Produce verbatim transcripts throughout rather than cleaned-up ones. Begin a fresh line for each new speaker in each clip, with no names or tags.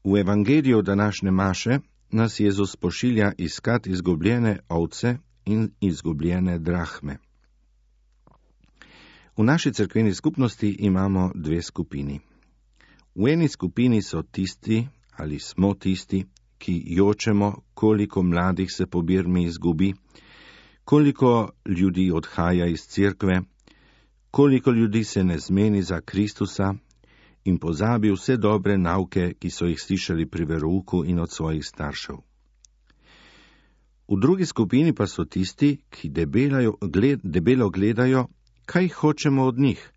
V evangeliju današnje maše nas Jezus pošilja iskat izgubljene ovce in izgubljene drahme. V naši cerkveni skupnosti imamo dve skupini. V eni skupini so tisti ali smo tisti, ki jočemo, koliko mladih se po Birmi izgubi, koliko ljudi odhaja iz cerkve, koliko ljudi se ne zmeni za Kristusa in pozabi vse dobre nauke, ki so jih slišali pri verouku in od svojih staršev. V drugi skupini pa so tisti, ki debelajo, gled, debelo gledajo, kaj hočemo od njih,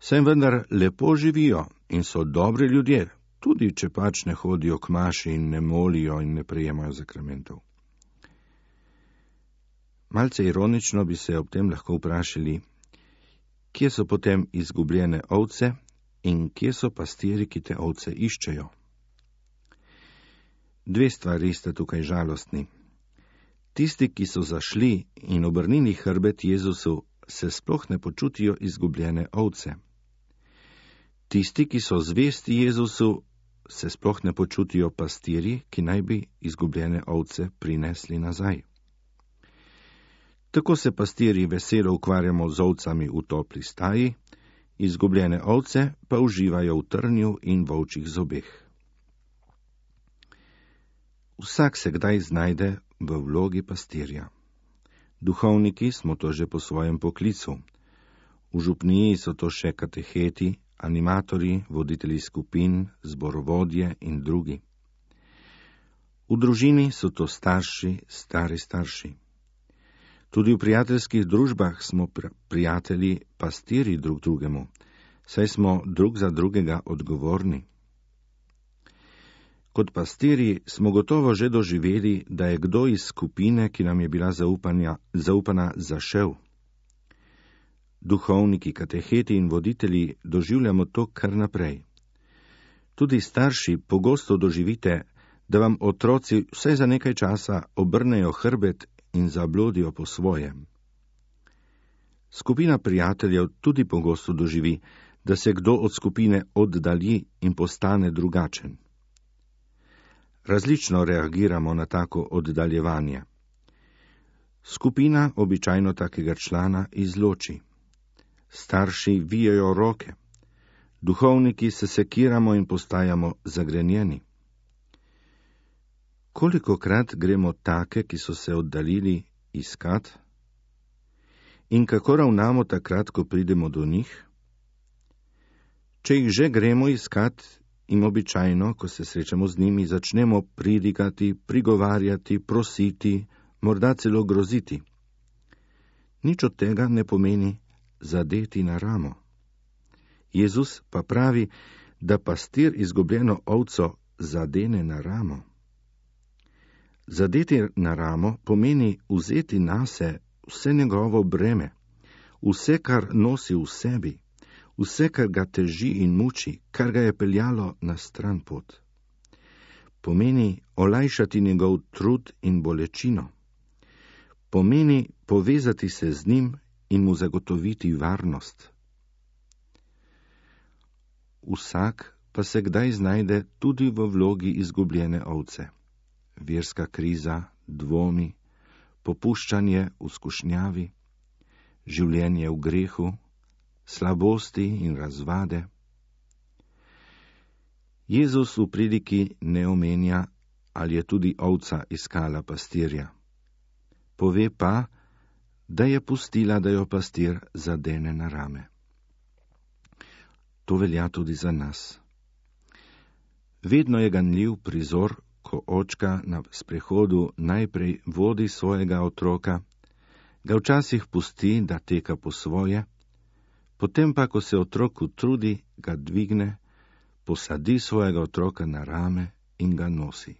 saj vendar lepo živijo in so dobri ljudje, tudi če pač ne hodijo k maši in ne molijo in ne prejemajo zakramentov. Malce ironično bi se ob tem lahko vprašali, kje so potem izgubljene ovce in kje so pastiri, ki te ovce iščejo. Dve stvari sta tukaj žalostni. Tisti, ki so zašli in obrnili hrbet Jezusu, se sploh ne počutijo izgubljene ovce. Tisti, ki so zvesti Jezusu, se sploh ne počutijo pastiri, ki naj bi izgubljene ovce prinesli nazaj. Tako se pastiri veselo ukvarjamo z ovcami v topli staji, izgubljene ovce pa uživajo v trnju in volčjih zobeh. Vsak se kdaj znajde v vlogi pastirja. Duhovniki smo to že po svojem poklicu. V župniji so to še kateheti, animatorji, voditelji skupin, zborovodje in drugi. V družini so to starši, stari starši. Tudi v prijateljskih družbah smo pr- prijatelji pastiri drug drugemu, saj smo drug za drugega odgovorni. Kot pastiri smo gotovo že doživeli, da je kdo iz skupine, ki nam je bila zaupanja, zaupana, zašel. Duhovniki, kateheti in voditelji doživljamo to kar naprej. Tudi starši pogosto doživite, da vam otroci vsaj za nekaj časa obrnejo hrbet in zablodijo po svojem. Skupina prijateljev tudi pogosto doživi, da se kdo od skupine oddalji in postane drugačen. Različno reagiramo na tako oddaljevanje. Skupina običajno takega člana izloči. Starši vijejo roke. Duhovniki se sekiramo in postajamo zagrenjeni. Kolikokrat gremo take, ki so se oddaljili, iskat? In kako ravnamo takrat, ko pridemo do njih? Če jih že gremo iskat, in običajno, ko se srečamo z njimi, začnemo pridigati, prigovarjati, prositi, morda celo groziti. Nič od tega ne pomeni zadeti na ramo. Jezus pa pravi, da pastir izgubljeno ovco zadene na ramo. Zadeti na ramo pomeni vzeti nase vse njegovo breme, vse, kar nosi v sebi, vse, kar ga teži in muči, kar ga je peljalo na stran pot. Pomeni olajšati njegov trud in bolečino. Pomeni povezati se z njim in mu zagotoviti varnost. Vsak pa se kdaj znajde tudi v vlogi izgubljene ovce. Verska kriza, dvomi, popuščanje v skušnjavi, življenje v grehu, slabosti in razvade. Jezus v pridiki ne omenja, ali je tudi ovca iskala pastirja. Pove pa, da je pustila, da jo pastir zadene na rame. To velja tudi za nas. Vedno je ganljiv prizor, ko očka na sprehodu najprej vodi svojega otroka, ga včasih pusti, da teka po svoje, potem pa, ko se otrok utrudi, ga dvigne, posadi svojega otroka na rame in ga nosi.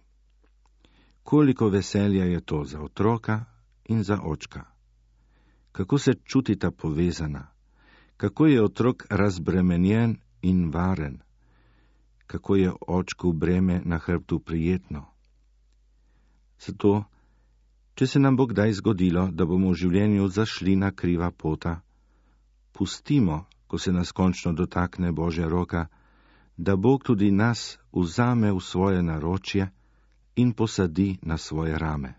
Koliko veselja je to za otroka in za očka. Kako se čutita povezana, kako je otrok razbremenjen in varen, kako je očku breme na hrbtu prijetno. Zato, če se nam bo kdaj zgodilo, da bomo v življenju zašli na kriva pota, pustimo, ko se nas končno dotakne Božja roka, da Bog tudi nas vzame v svoje naročje in posadi na svoje rame.